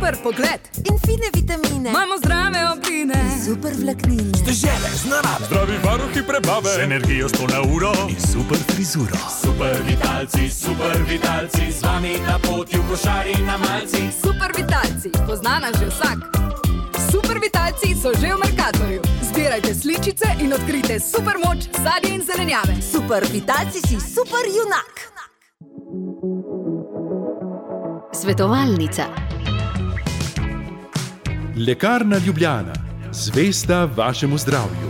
super pogled in fine vitamine. Imamo zdrave obline, super vlaknine, Dežele z narave, zdravi varuhi prebave, z energijo 100 na uro in super frizuro. Super vitalci, z vami na poti v košari na malci. Super vitalci, poznana že vsak. Super vitalci so že v Mercatorju. Zbirajte sličice in odkrijte super moč sadja in zelenjave. Super vitalci si super junak. Svetovalnica. Lekarna Ljubljana, zvesta vašemu zdravju.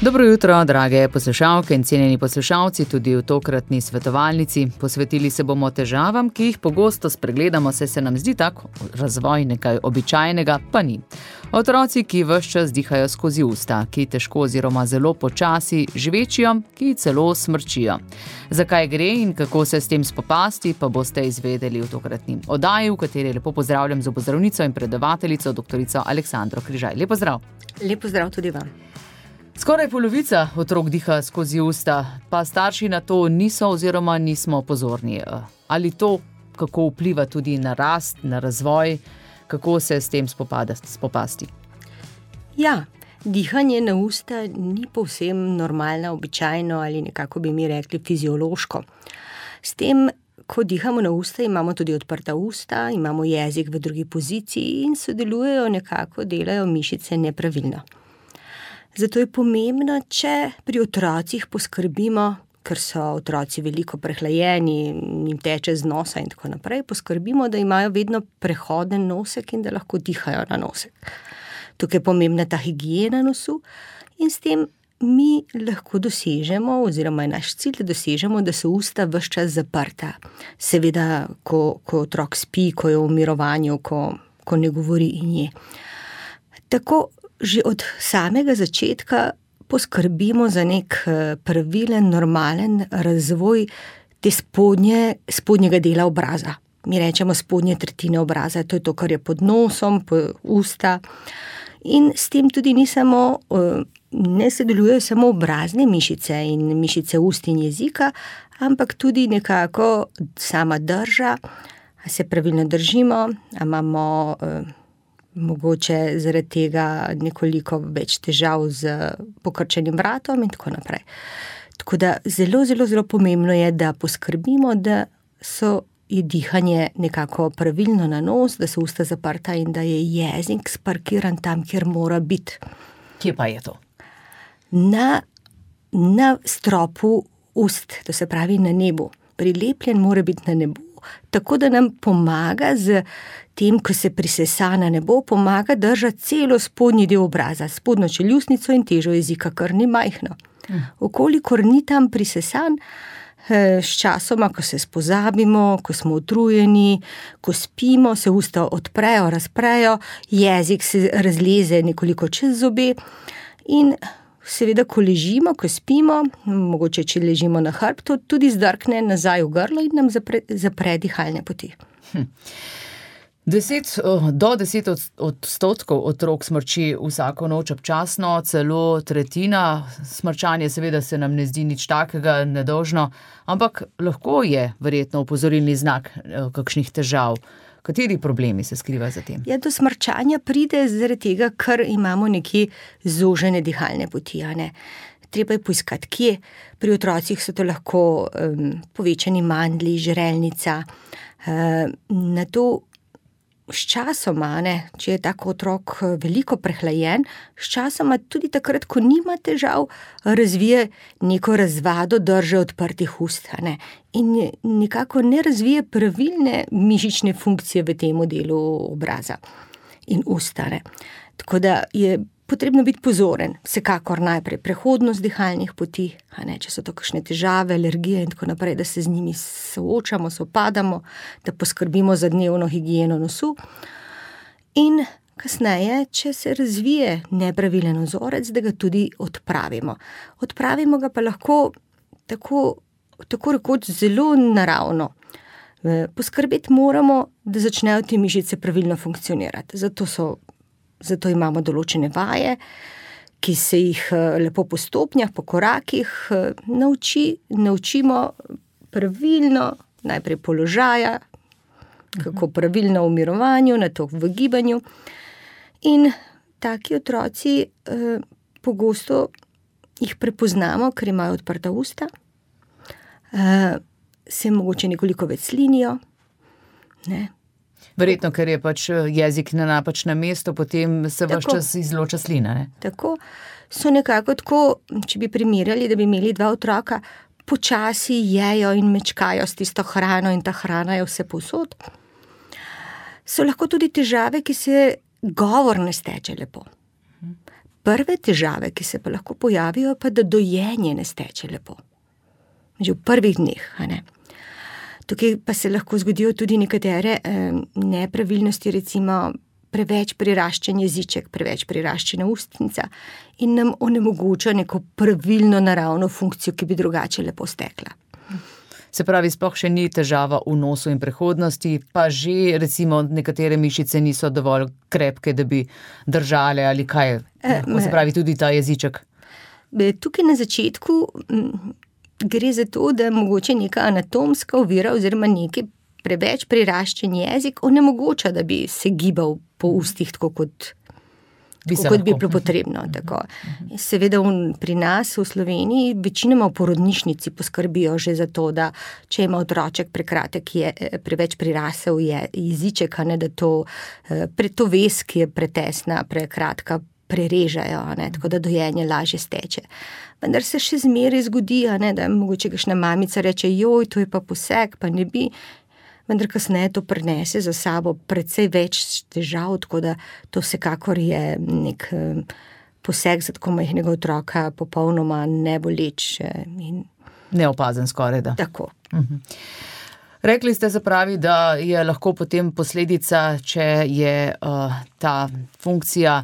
Dobro jutro, drage poslušalke in cenjeni poslušalci, tudi v tokratni svetovalnici. Posvetili se bomo težavam, ki jih pogosto spregledamo, saj se nam zdi tako razvoj nekaj običajnega, pa ni. Otroci, ki ves čas dihajo skozi usta, ki težko oziroma zelo počasi žvečijo, ki celo smrčijo. Zakaj gre in kako se s tem spopasti, pa boste izvedeli v tokratni oddaji, v kateri lepo pozdravljam zobozdravnico in predavateljico doktorico Aleksandro Križaj. Lep pozdrav. Lep pozdrav tudi vam. Skoraj polovica otrok diha skozi usta, pa starši na to niso oziroma nismo pozorni. Ali to, kako vpliva tudi na rast, na razvoj, kako se s tem spopasti? Ja, dihanje na usta ni povsem normalno, običajno ali nekako bi mi rekli fiziološko. S tem, ko dihamo na usta, imamo tudi odprta usta, imamo jezik v drugi poziciji in sodelujejo nekako, delajo mišice nepravilno. Zato je pomembno, če pri otrocih poskrbimo, ker so otroci veliko prehlajeni, jim teče z nosa in tako naprej, poskrbimo, da imajo vedno prehoden nosek in da lahko dihajo na nosek. Tukaj je pomembna ta higiena nosu in s tem mi lahko dosežemo, oziroma je naš cilj, da dosežemo, da so usta ves čas zaprta. Seveda, ko otrok spi, ko je v mirovanju, ko ne govori in je. Tako že od samega začetka poskrbimo za nek pravilen, normalen razvoj te spodnjega dela obraza. Mi rečemo spodnje tretjine obraza, to je to, kar je pod nosom, usta. In s tem tudi ne sodelujejo samo obrazne mišice in mišice ust in jezika, ampak tudi nekako sama drža, a se pravilno držimo, a imamo mogoče zaradi tega nekoliko več težav z pokrčenim vratom in tako naprej. Tako da zelo, zelo, zelo pomembno je, da poskrbimo, da je dihanje nekako pravilno na nos, da so usta zaprta in da je jezik sparkiran tam, kjer mora biti. Kje pa je to? Na stropu ust, to se pravi na nebu. Prilepljen mora biti na nebu, tako da nam pomaga z tem, ko se prisesa na nebo, pomaga držati celo spodnji del obraza, spodnjo čeljustnico in težo jezika, kar ni majhno. Okolikor ni tam prisesan, s časoma, ko se spozabimo, ko smo utrujeni, ko spimo, se usta odprejo, razprejo, jezik se razleze nekoliko čez zobe in seveda, ko ležimo, ko spimo, mogoče, če ležimo na hrbtu, tudi zdrkne nazaj v grlo in nam zapre dihalne poti. Do 10% otrok smrči vsako noč občasno, celo tretjina. Smrčanje seveda se nam ne zdi nič takega nedolžno, ampak lahko je verjetno opozorilni znak kakšnih težav. Kateri problemi se skrivajo za tem? Ja, do smrčanja pride zaradi tega, ker imamo nekje zožene dihalne poti. Treba je poiskati, kje. Pri otrocih so to lahko povečani mandlji, žrelnica. Na to sčasoma, če je tak otrok veliko prehlajen, sčasoma tudi takrat, ko nima težav, razvije neko razvado drže odprtih ust. In nekako ne razvije pravilne mišične funkcije v tem delu obraza in usta. Tako da je potrebno biti pozoren. Vsekakor najprej prehodnost dihalnih poti, če so to kakšne težave, alergije in tako naprej, da se z njimi soočamo, sopadamo, da poskrbimo za dnevno higieno nosu. In kasneje, če se razvije nepravilen vzorec, da ga tudi odpravimo. Odpravimo ga pa lahko tako rekoč zelo naravno. Poskrbeti moramo, da začnejo te mišice pravilno funkcionirati. Zato imamo določene vaje, ki se jih lepo po stopnjah, po korakih naučimo pravilno najprej položaja, kako pravilno v mirovanju, nato v gibanju. In taki otroci pogosto jih prepoznamo, ker imajo odprta usta, se mogoče nekoliko več slinijo. Ne? Verjetno, ker je pač jezik na napačnem mestu, potem se ves čas izloča slina. Ne? Tako. So nekako tako, če bi primerjali, da bi imeli dva otroka, počasi jejo in mečkajo s tisto hrano in ta hrana je vse povsod. So lahko tudi težave, ki se govor ne steče lepo. Prve težave, ki se pa lahko pojavijo, pa da dojenje ne steče lepo. Že v prvih dneh, a ne. Tukaj pa se lahko zgodijo tudi nekatere nepravilnosti, recimo preveč priraščen jeziček, preveč priraščena ustnica in nam onemogoča neko pravilno naravno funkcijo, ki bi drugače lepo stekla. Se pravi, sploh še ni težava v nosu in prehodnosti, pa že recimo nekatere mišice niso dovolj krepke, da bi držale ali kaj, se pravi tudi ta jeziček. Tukaj na začetku gre za to, da mogoče neka anatomska ovira oziroma neki preveč priraščen jezik onemogoča, da bi se gibal po ustih tako kot bi bilo potrebno. Tako. Seveda pri nas v Sloveniji večinoma v porodnišnici poskrbijo že za to, da če ima otroček prekratek preveč prirasel jeziček, ne, da to vez, ki je pretesna, prekratka, prerežajo, ne, tako da dojenje lažje steče. Vendar se še zmeraj zgodi, ne, da mogoče kakšna mamica reče, joj, to je pa poseg, pa ne bi. Vendar kasneje to prinese za sabo precej več težav, tako da to vsekakor je nek poseg za tako majhnega otroka, popolnoma neboleč. Neopazen skoraj, da. Tako. Rekli ste, se pravi, da je lahko potem posledica, če je ta funkcija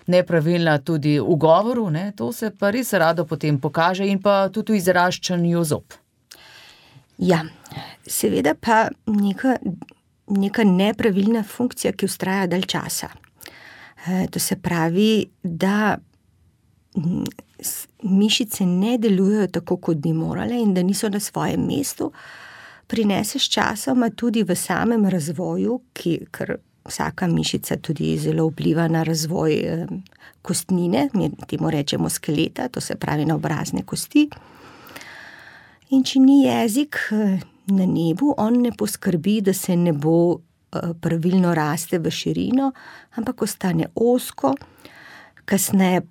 nepravilna tudi v govoru, ne? To se pa res rado potem pokaže in pa tudi v izraščanju zob. Ja, seveda pa neka nepravilna funkcija, ki vztraja dalj časa. To se pravi, da mišice ne delujejo tako, kot bi morale in da niso na svojem mestu, prinese s časoma tudi v samem razvoju, ker vsaka mišica tudi zelo vpliva na razvoj kostnine, mi temu rečemo skeleta, to se pravi na obrazne kosti. In če ni jezik na nebu, on ne poskrbi, da se ne bo pravilno raste v širino, ampak ostane ozko, kasneje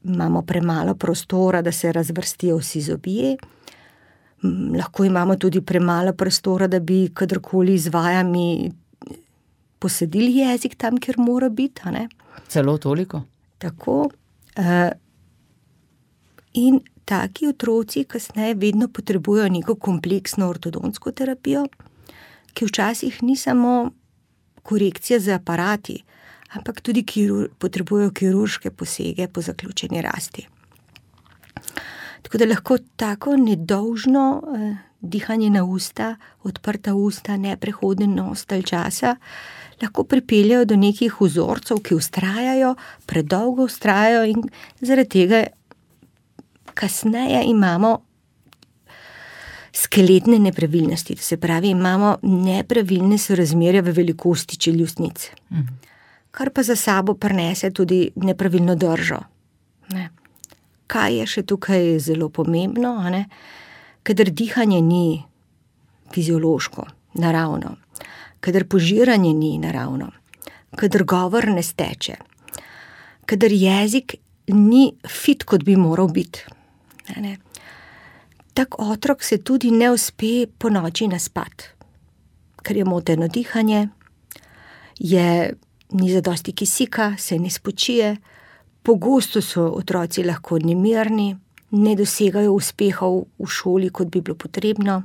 imamo premalo prostora, da se razvrstijo vsi zobje, lahko imamo tudi premalo prostora, da bi kadarkoli z vajami posadili jezik tam, kjer mora biti, a ne? Celo toliko? Tako. In taki otroci kasneje vedno potrebujejo neko kompleksno ortodontsko terapijo, ki včasih ni samo korekcija z aparati, ampak tudi potrebujejo kirurške posege po zaključeni rasti. Tako da lahko tako nedolžno dihanje na usta, odprta usta, neprehoden nos dalj časa, lahko pripeljajo do nekih vzorcev, ki vztrajajo, predolgo vztrajajo in zaradi tega kasneje imamo skeletne nepravilnosti, to se pravi, imamo nepravilne sorazmerja v velikosti čeljustnic, kar pa za sabo prinese tudi nepravilno držo. Ne. Kaj je še tukaj zelo pomembno, ne? Kadar dihanje ni fiziološko, naravno, kadar požiranje ni naravno, kadar govor ne steče, kadar jezik ni fit, kot bi moral biti. Ne. Tak otrok se tudi ne uspe po noči naspat, ker je moteno dihanje, ni zadosti kisika, se ne spočije, pogosto so otroci lahko nemirni, ne dosegajo uspehov v šoli, kot bi bilo potrebno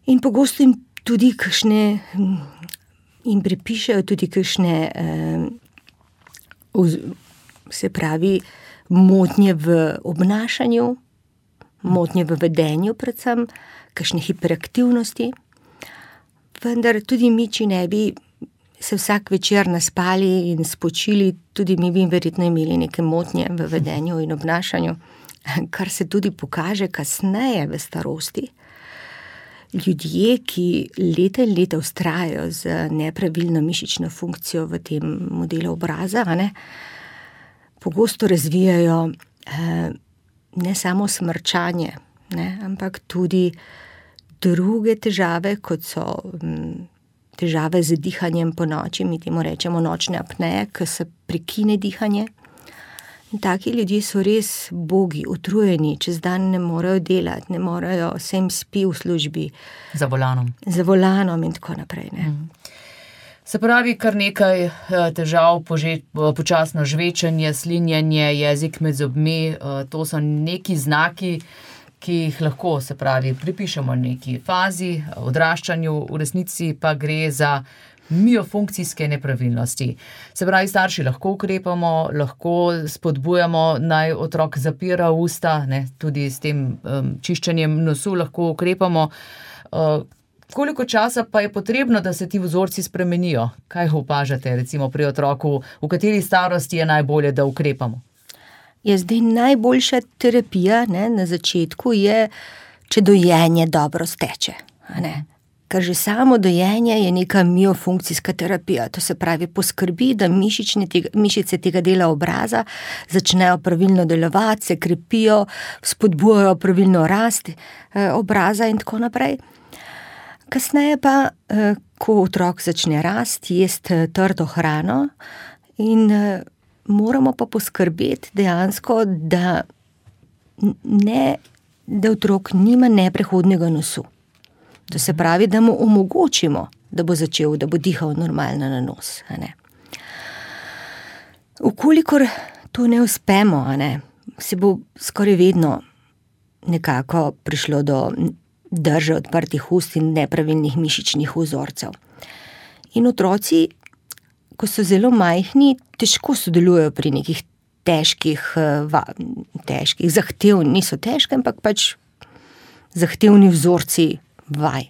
in pogosto jim tudi jim pripišejo tudi kakšne se pravi motnje v obnašanju, motnje v vedenju predvsem, kakšne hiperaktivnosti, vendar tudi mi, če ne bi se vsak večer naspali in spočili, tudi mi bi verjetno imeli neke motnje v vedenju in obnašanju, kar se tudi pokaže kasneje v starosti, ljudje, ki leta in leta vztrajajo z nepravilno mišično funkcijo v tem modelu obraza, pogosto razvijajo ne samo smrčanje, ampak tudi druge težave, kot so težave z dihanjem po noči, mi temu rečemo nočne apneje, ko se prekine dihanje. In taki ljudje so res bogi, utrujeni, čez dan ne morejo delati, ne morejo, se jim spi v službi. Za volanom in tako naprej. Se pravi, kar nekaj težav, počasno žvečenje, slinjenje, jezik med zobmi, to so neki znaki, ki jih lahko, se pravi, pripišemo neki fazi, odraščanju, v resnici pa gre za miofunkcijske nepravilnosti. Se pravi, starši lahko ukrepamo, lahko spodbujamo, naj otrok zapira usta, tudi s tem čiščenjem nosu lahko ukrepamo. Koliko časa pa je potrebno, da se ti vzorci spremenijo? Kaj opažate recimo pri otroku, v kateri starosti je najbolje, da ukrepamo? Zdaj najboljša terapija na začetku je, če dojenje dobro steče. Ker že samo dojenje je neka miofunkcijska terapija. To se pravi, poskrbi, da mišice tega dela obraza začnejo pravilno delovati, se krepijo, spodbujajo pravilno rast obraza in tako naprej. Kasneje pa, ko otrok začne rasti, jesti trdo hrano in moramo pa poskrbeti dejansko, da otrok nima neprehodnega nosu. To se pravi, da mu omogočimo, da bo začel, da bo dihal normalno na nos. Vkolikor to ne uspemo, se bo skoraj vedno nekako prišlo do drže odprtih ust in nepravilnih mišičnih vzorcev. In otroci, ko so zelo majhni, težko sodelujejo pri nekih težkih, zahtevnih, niso težke, ampak pač zahtevni vzorci vaj.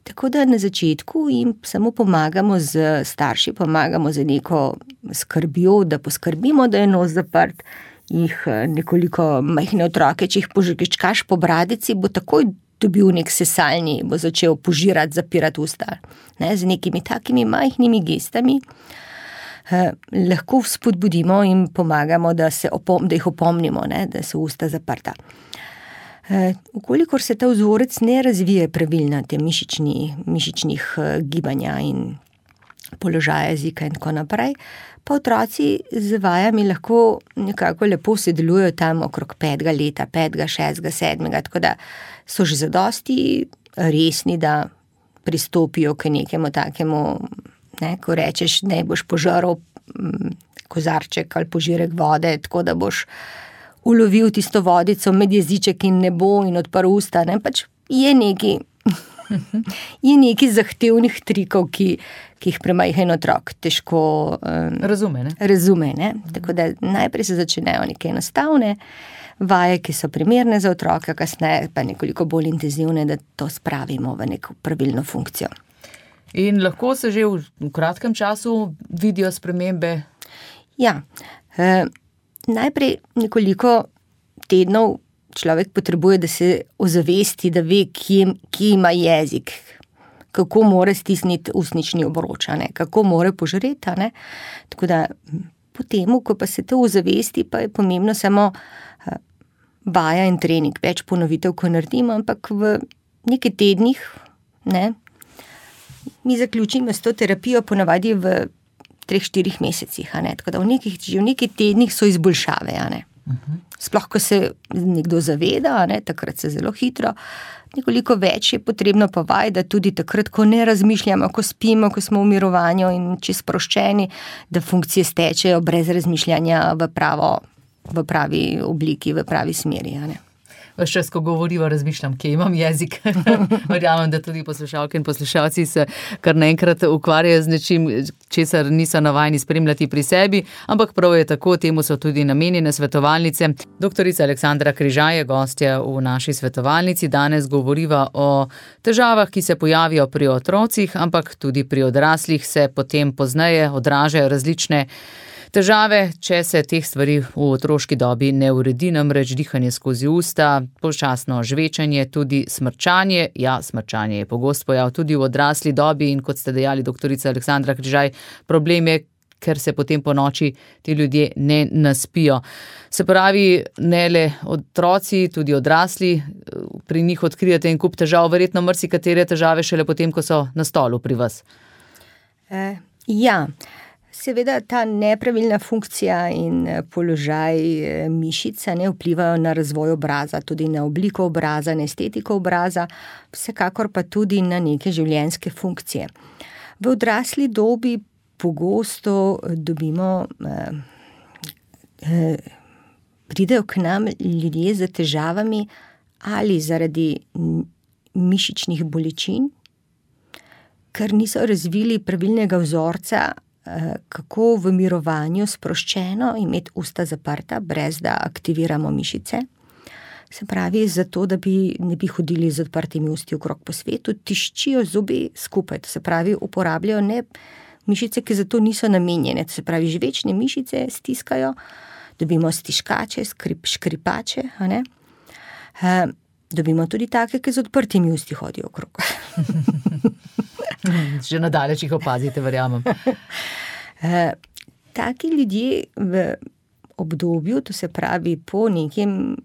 Tako da na začetku jim samo pomagamo starši, pomagamo z neko skrbjo, da poskrbimo, da je nos zaprt, jih nekoliko majhne otroke, če jih požgečkaš po bradici, bo takoj dobil nek sesalni, bo začel požirati, zapirati usta. Z nekimi takimi majhnimi gestami lahko spodbudimo in pomagamo, da jih opomnimo, da so usta zaprta. Vkolikor se ta vzorec ne razvije pravilno, te mišičnih gibanja in položaja jezika in tako naprej, pa otroci z vajami lahko nekako lepo sodelujejo tam okrog 5. leta, 5., 6., 7., tako da so že zadosti resni, da pristopijo k nekemu takemu, ko rečeš, ne boš požaral kozarček ali požirek vode, tako da boš ulovil tisto vodico med jeziček in nebo in odprl usta, pač je neki zahtevnih trikov, ki jih premajhen otrok težko razume. Tako da najprej se začnejo neke enostavne vaje, ki so primerne za otroka, kasneje pa nekoliko bolj intenzivne, da to spravimo v neko pravilno funkcijo. In lahko se že v kratkem času vidijo spremembe? Ja, najprej nekoliko tednov človek potrebuje, da se ozavesti, da ve, kje ima jezik, kako mora stisniti ustnični obroč, kako mora požreti. Tako da potem, ko pa se to ozavesti, pa je pomembno samo vaja in trening, več ponovitev, ko naredimo, ampak v nekaj tednih, mi zaključimo s to terapijo ponavadi v 3-4 mesecih, tako da že v nekaj tednih so izboljšave. Sploh, ko se nekdo zaveda, takrat se zelo hitro, nekoliko več je potrebno pa vaj, da tudi takrat, ko ne razmišljamo, ko spimo, ko smo v mirovanju in čisto sproščeni, da funkcije stečejo brez razmišljanja v pravi obliki, v pravi smeri. Ves čas, ko govoriva, razmišljam, kje imam jezik. Verjamem, da tudi poslušalke in poslušalci se kar naenkrat ukvarjajo z nečim, česar niso navajeni spremljati pri sebi, ampak prav je tako, temu so tudi namenjene svetovalnice. Doktorica Aleksandra Križaj je gostja v naši svetovalnici. Danes govoriva o težavah, ki se pojavijo pri otrocih, ampak tudi pri odraslih se potem pozneje odražajo različne Težave, če se teh stvari v otroški dobi ne uredi, namreč dihanje skozi usta, počasno žvečanje, tudi smrčanje. Ja, smrčanje je pogost pojav tudi v odrasli dobi in kot ste dejali, doktorica Aleksandra Križaj, problem je, ker se potem po noči ti ljudje ne naspijo. Se pravi, ne le otroci, tudi odrasli, pri njih odkrijete en kup težav, verjetno marsikatere težave šele potem, ko so na stolu pri vas. Ja, seveda ta nepravilna funkcija in položaj mišic ne vplivajo na razvoj obraza, tudi na obliko obraza, na estetiko obraza, vsekakor pa tudi na neke življenjske funkcije. V odrasli dobi pogosto dobimo, pridejo k nam ljudje z težavami ali zaradi mišičnih bolečin, ker niso razvili pravilnega vzorca, kako v mirovanju sproščeno imeti usta zaprta, brez da aktiviramo mišice. Se pravi, zato, da ne bi hodili z odprtimi usti okrog po svetu, tiščijo zobe skupaj, to se pravi, uporabljajo ne mišice, ki zato niso namenjene, to se pravi, žvečne mišice stiskajo, dobimo stiškače, škripače, a ne? Dobimo tudi take, ki z odprtimi usti hodijo okrog. Že nadaleč jih opazite, verjamem. Taki ljudje v obdobju, to se pravi po nekem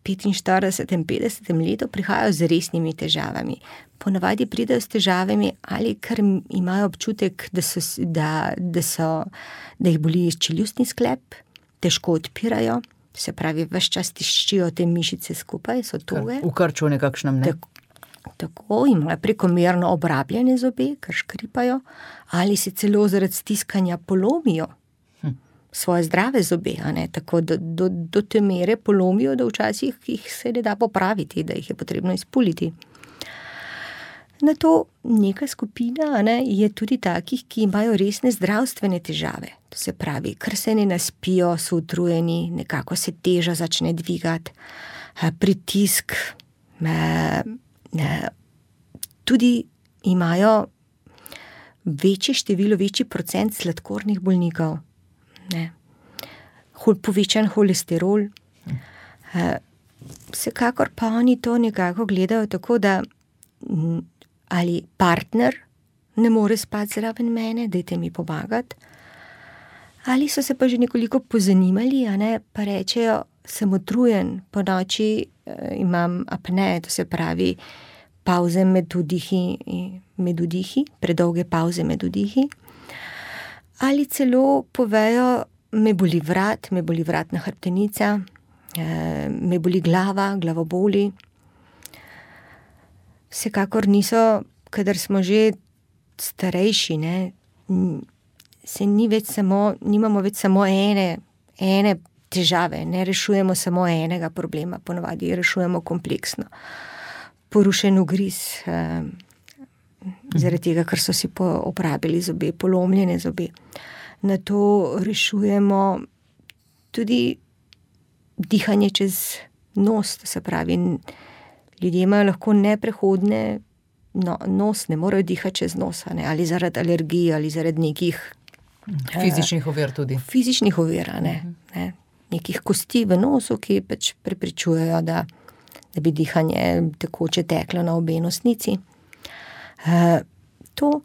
45-50 letu, prihajajo z resnimi težavami. Ponavadi pridejo s težavami ali ker imajo občutek, da jih boli čeljustni sklep, težko odpirajo, se pravi, ves čas tiščijo te mišice skupaj, so toge. V krču nekakšnem, ne? Tako, imajo prekomerno obrabljene zobe, ker škripajo, ali se celo zaradi stiskanja polomijo svoje zdrave zobe, a ne? Tako do te mere polomijo, da včasih jih se ne da popraviti, da jih je potrebno izpuliti. Na to neka skupina, a ne, je tudi takih, ki imajo resne zdravstvene težave. To se pravi, ker se ne naspijo, so utrujeni, nekako se teža začne dvigati, pritisk, tudi imajo večji procent sladkornih bolnikov, ne, povečan holesterol. Vsekakor pa oni to nekako gledajo tako, da ali partner ne more spati zraven mene, dajte mi pomagati, ali so se pa že nekoliko pozanimali, a ne, pa rečejo, sem utrujen, po noči imam apne, to se pravi pavze med vdihi, predolge pavze med vdihi, ali celo povejo, me boli vratna hrbtenica, me boli glava, glavoboli. Vsekakor niso, kadar smo že starejši, ne, nimamo več samo ene težave, ne rešujemo samo enega problema, ponavadi rešujemo kompleksno. Porušen ugriz, zaradi tega, ker so si opravili zobe, polomljene zobe. Na to rešujemo tudi dihanje čez nos, to se pravi, ljudje imajo lahko neprehodne nos, ne morejo dihati čez nos, ne, ali zaradi alergij, ali zaradi nekih fizičnih ovir tudi. Fizičnih ovir, ne, nekih kosti v nosu, ki pač preprečujejo, da bi dihanje tekoče teklo na obe nosnici. To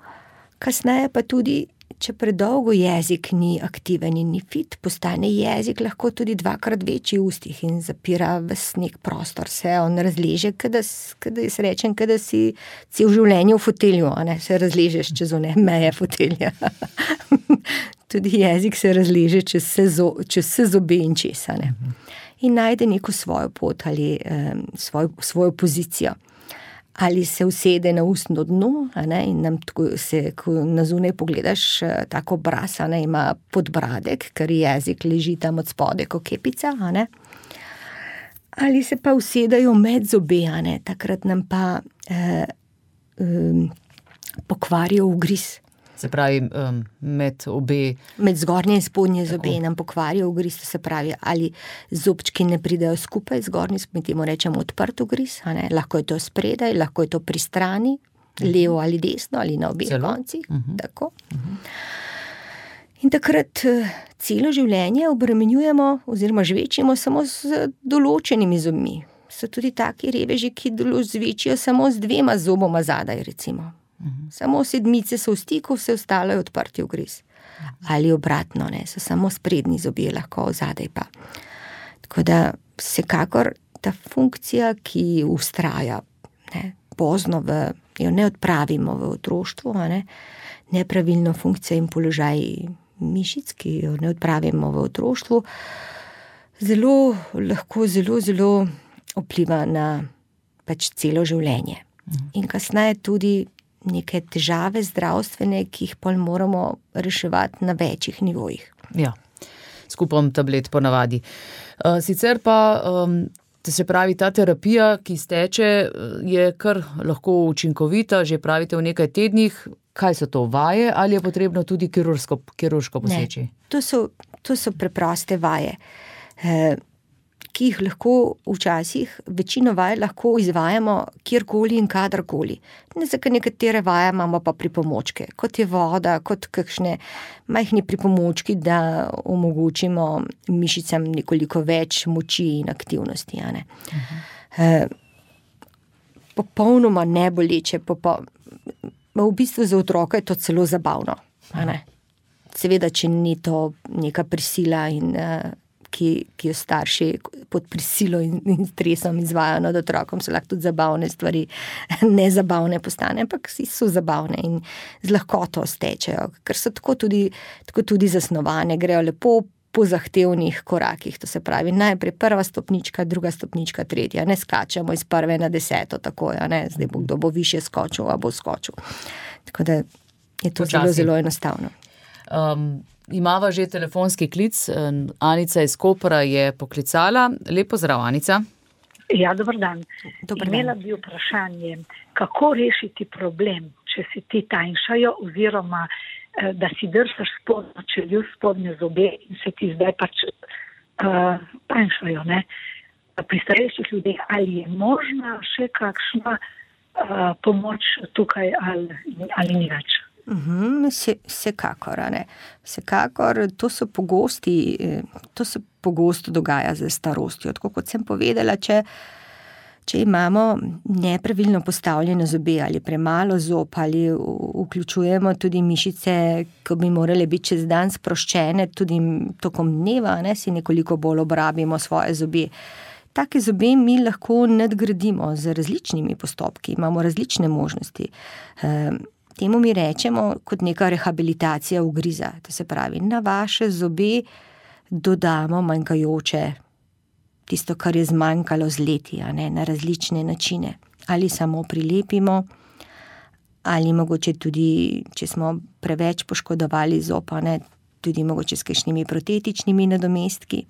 kasneje pa tudi, če predolgo jezik ni aktiven in ni fit, postane jezik lahko tudi 2x večji v ustih in zapira ves nek prostor, se on razleže, kada jaz rečem, kada si cel življenje v fotelju, a ne, se razležeš čez one meje fotelja. Tudi jezik se razleže čez vse zobe in česa, ne. In najde neko svojo pot ali svojo pozicijo. Ali se usede na ustno dno, a ne, in nam tako ko na zunaj pogledaš, tako obraz, a ne, ima podbradek, ker jezik leži tam od spode, ko kepica, a ne. Ali se pa usedajo med zobe, a ne, takrat nam pa pokvarijo ugriz. Se pravi, med obe... Med zgornje in spodnje zobe nam pokvarijo ugriz, to se pravi, ali zobčki ne pridejo skupaj, zgornji, mi temu rečemo odprt ugriz, a ne, lahko je to spredaj, lahko je to pri strani, levo ali desno, ali na obeh koncih, tako. In takrat celo življenje obremenjujemo oziroma žvečimo samo z določenimi zobmi. So tudi taki reveži, ki zvečijo samo z 2 zoboma zadaj, recimo. Samo 7 so v stiku, vse ostalo je odprti ugriz. Ali obratno, ne, so samo sprednji zobje lahko, zadaj pa. Tako da vsekakor ta funkcija, ki vztraja, ne, pozno jo ne odpravimo v otroštvu, ne, nepravilno funkcijo in položaj mišic, ki jo ne odpravimo v otroštvu, lahko zelo vpliva na pač celo življenje. In kasneje tudi neke težave zdravstvene, ki jih pol moramo reševati na večjih nivojih. Ja, s kupom tablet ponavadi. Sicer pa, se pravi, ta terapija, ki steče, je kar lahko učinkovita, že pravite v nekaj tednih. Kaj so to, vaje ali je potrebno tudi kirurško poseči? Ne, to so preproste vaje, ki jih lahko včasih, večino vaj lahko izvajamo kjerkoli in kadarkoli. Nekatere vaje imamo pa pripomočke, kot je voda, kot kakšne majhni pripomočki, da omogočimo mišicam nekoliko več moči in aktivnosti. A ne? Popolnoma neboleče, v bistvu za otroka je to celo zabavno. A ne? Seveda, če ni to neka prisila in ki jo starši pod prisilo in stresom izvajajo nad otrokom, so lahko tudi zabavne stvari, nezabavne postane, ampak so zabavne in z lahkoto stečejo, ker so tako tudi zasnovane, grejo lepo po zahtevnih korakih, to se pravi najprej 1. stopnička, 2. stopnička, 3. Ne skačemo iz 1. na 10. takoj, ne, zdaj kdo bo više skočil, a bo skočil. Tako da je to zelo enostavno. Imava že telefonski klic, Anica iz Kopra je poklicala. Lep pozdrav, Anica. Ja, dober dan. Imela bi vprašanje, kako rešiti problem, če si ti tanjšajo oziroma da si drsaš spodnje zobe in se ti zdaj pač tanjšajo, ne? Pri starejših ljudeh, ali je možna še kakšna pomoč tukaj ali ni več? Vsekakor, ne. Vsekakor, to se pogosto dogaja z starostjo. Tako kot sem povedala, če imamo nepravilno postavljene zobe ali premalo zob ali vključujemo tudi mišice, ki bi morale biti čez dan sproščene, tudi tokom dneva, ne, si nekoliko bolj obrabimo svoje zobe. Take zobe mi lahko nadgradimo z različnimi postopki, imamo različne možnosti. Temu mi rečemo kot neka rehabilitacija ugriza. To se pravi, na vaše zobe dodamo manjkajoče, tisto, kar je zmanjkalo z leti, ne, na različne načine. Ali samo prilepimo, ali mogoče tudi, če smo preveč poškodovali zob, ne, tudi mogoče s kakšnimi protetičnimi nadomestki,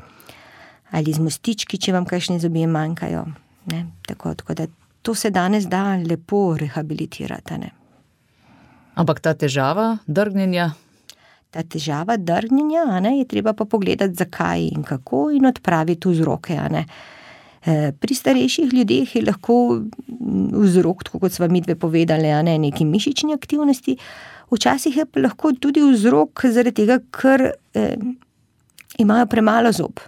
ali z mostički, če vam kakšne zobje manjkajo. Ne. Tako da to se danes da lepo rehabilitirati, ne. Ampak ta težava drgnjenja? Ta težava drgnjenja, ne, je treba pa pogledati, zakaj in kako in odpraviti vzroke. Ne. Pri starejših ljudeh je lahko vzrok, tako kot sva midve povedali, ne, neki mišični aktivnosti. Včasih je pa lahko tudi vzrok zaradi tega, ker imajo premalo zob.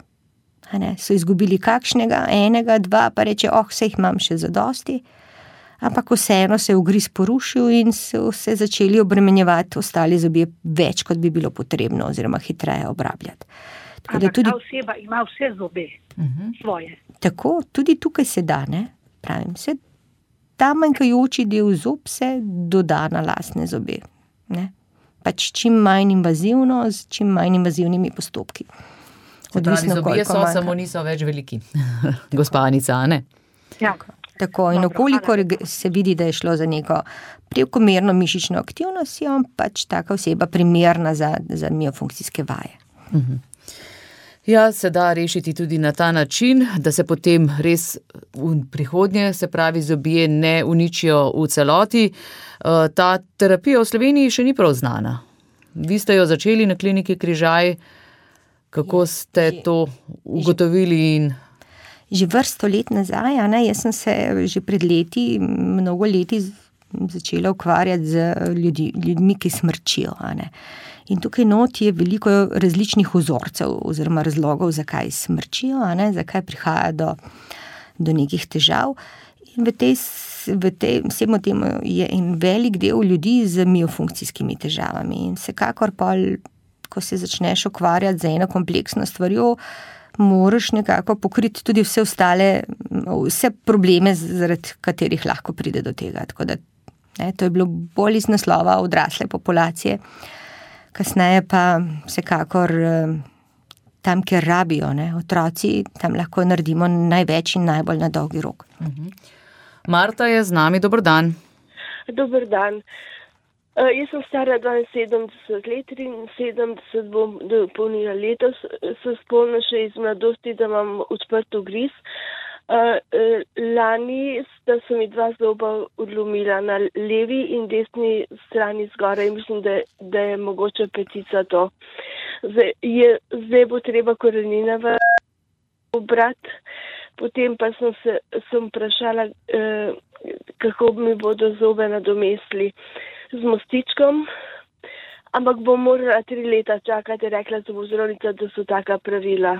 Ne. So izgubili kakšnega, 1, 2, pa reče, saj jih imam še zadosti. Ampak vseeno se je ugriz porušil in so se začeli obremenjevati ostali zobje več, kot bi bilo potrebno, oziroma hitreje obrabljati. Ampak ta oseba ima vse zobe svoje. Tako, tudi tukaj se da, ne? Pravim, ta manjkajoči del zob se doda na lastne zobe. Ne? Pač čim manj invazivno, z čim manj invazivnimi postopki. Odvisno, zobje so, samo niso več veliki. Gospa Anica, ne? Ja. Tako, in okolikor se vidi, da je šlo za neko prekomerno mišično aktivnost, je pač taka oseba primerna za miofunkcijske vaje. Ja, se da rešiti tudi na ta način, da se potem res v prihodnje, se pravi, zobje ne uničijo v celoti. Ta terapija v Sloveniji še ni prav znana. Vi ste jo začeli na kliniki Križaj. Kako ste to ugotovili in... Že vrsto let nazaj, ne, jaz sem se že pred leti, mnogo leti začela ukvarjati z ljudmi, ki smrčijo. In tukaj not je veliko različnih vzorcev oziroma razlogov, zakaj smrčijo, zakaj prihaja do nekih težav. In v tej vsemu temu je en velik del ljudi z miofunkcijskimi težavami. In vsekakor pa, ko se začneš ukvarjati z eno kompleksno stvarjo, moraš nekako pokriti tudi vse probleme, zaradi katerih lahko pride do tega. Tako da, to je bilo bolj iz naslova odrasle populacije, kasneje pa vsekakor tam, kjer rabijo, otroci, tam lahko naredimo največ in najbolj na dolgi rok. Marta je z nami, dober dan. Dober dan. Jaz sem stara 72 let, 73 bom dopolnila letos, sem spolna še iz mladosti, da imam odprt ugriz. Lani sta se mi 2 zoba odlomila na levi in desni strani zgoraj. Mislim, da je mogoče petica to. Zdaj bo treba korenine obrati. Potem pa sem vprašala, kako mi bodo zobe nadomestili z mostičkom, ampak bom morala 3 leta čakati, rekla zobozdravnica, da so taka pravila.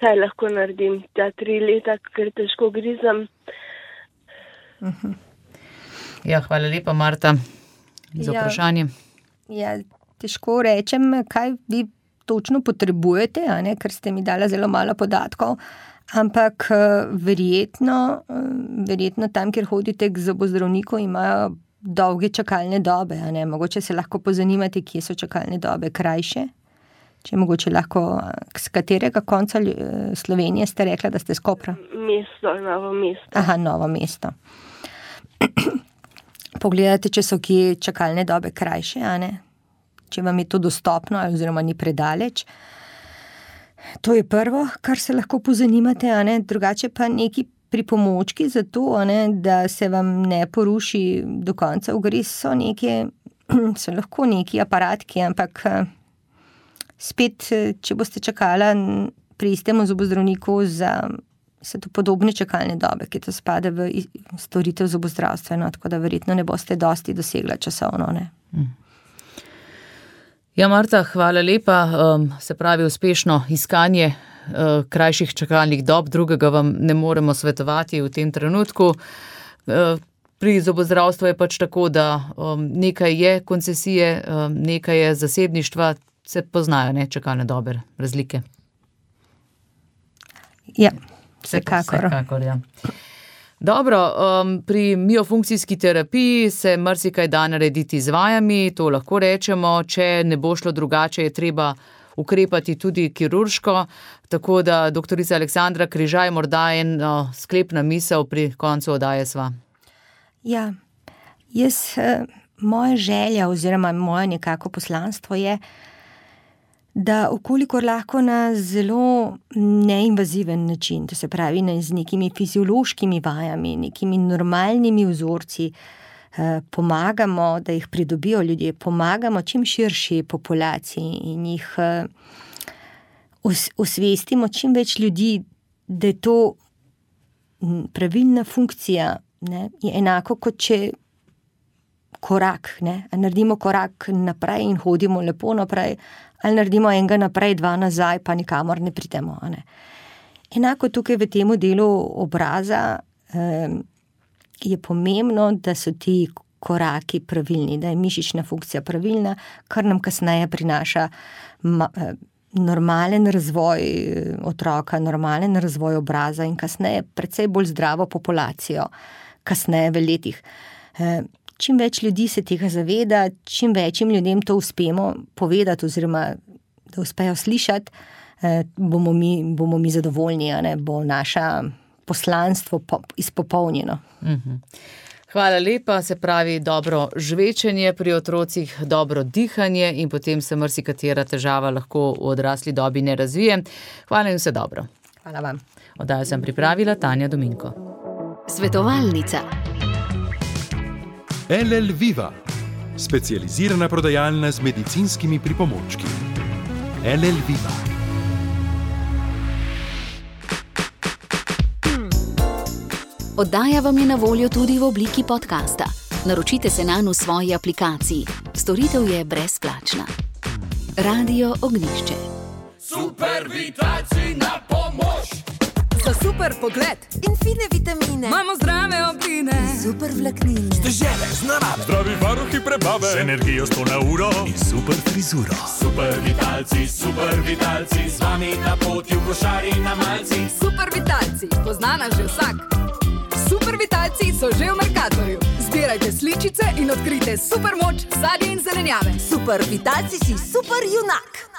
Kaj lahko naredim? Ta 3 leta, ker težko grizam. Ja, hvala lepa, Marta, za vprašanje. Ja, težko rečem, kaj vi točno potrebujete, ker ste mi dala zelo malo podatkov, ampak verjetno tam, kjer hodite k zobozdravniku, imajo dolge čakalne dobe. Mogoče se lahko pozanimate, kje so čakalne dobe krajše. Če mogoče lahko, z katerega konca Slovenije ste rekla, da ste s Kopra? Novo mesto. Aha, Novo mesto. Pogledate, če so kje čakalne dobe krajše, če vam je to dostopno oziroma ni predaleč. To je prvo, kar se lahko pozanimate, drugače pa neki pripomočki za to, da se vam ne poruši do konca ugriz, so lahko neki aparatki, ampak spet, če boste čakala pri istem zobozdravniku so to podobne čakalne dobe, ki to spada v storitev zobozdravstveno, tako da verjetno ne boste dosti dosegla časovno, Ja, Marta, hvala lepa. Se pravi, uspešno iskanje krajših čakalnih dob, drugega vam ne moremo svetovati v tem trenutku. Pri zobozdravstvu je pač tako, da nekaj je koncesije, nekaj je zasebništva, se poznajo, čakalne dobe, razlike. Ja, vsekakor. Ja. Dobro, pri miofunkcijski terapiji se marsikaj da narediti z vajami, to lahko rečemo, če ne bo šlo drugače, je treba ukrepati tudi kirurško, tako da doktorica Aleksandra Križaj, morda sklepna misel pri koncu oddaje sva. Ja, moja želja oziroma moje nekako poslanstvo je, da okolikor lahko na zelo neinvaziven način, to se pravi z nekimi fiziološkimi vajami, nekimi normalnimi vzorci, pomagamo, da jih pridobijo ljudje, pomagamo čim širši populaciji in jih osvestimo čim več ljudi, da je to pravilna funkcija, je enako kot če korak, naredimo korak naprej in hodimo lepo naprej, ali naredimo enega naprej, 2 nazaj, pa nikamor ne pridemo. Enako tukaj v temu delu obraza je pomembno, da so ti koraki pravilni, da je mišična funkcija pravilna, kar nam kasneje prinaša normalen razvoj otroka, normalen razvoj obraza in kasneje precej bolj zdravo populacijo, kasneje v letih. Čim več ljudi se tega zaveda, čim večjim ljudem to uspemo povedati oziroma da uspejo slišati, bomo mi zadovoljni, bo naše poslanstvo izpopolnjeno. Hvala lepa, se pravi dobro žvečenje pri otrocih, dobro dihanje in potem se marsikatera težava lahko v odrasli dobi ne razvije. Hvala in vse dobro. Hvala vam. Oddajo sem pripravila Tanja Dominko. Svetovalnica. LL Viva, specializirana prodajalna z medicinskimi pripomočki. LL Viva. Oddaja vam je na voljo tudi v obliki podcasta. Naročite se nanj v svoji aplikaciji. Storitev je brezplačna. Radio Ognjišče. Super vitalci na pomoč! Za super pogled in fine vitamine. imamo zdrave obline. Super vlaknine. Težave z narave. Zdravi varuhi prebave. Z energijo 100 na uro in super frizuro. Super vitalci, z vami na poti v košari na malci. Super vitalci, pozna nas že vsak. Super vitalci so že v Mercatorju. Zbirajte sličice in odkrijte super moč sadja in zelenjave. Super vitalci si super junak.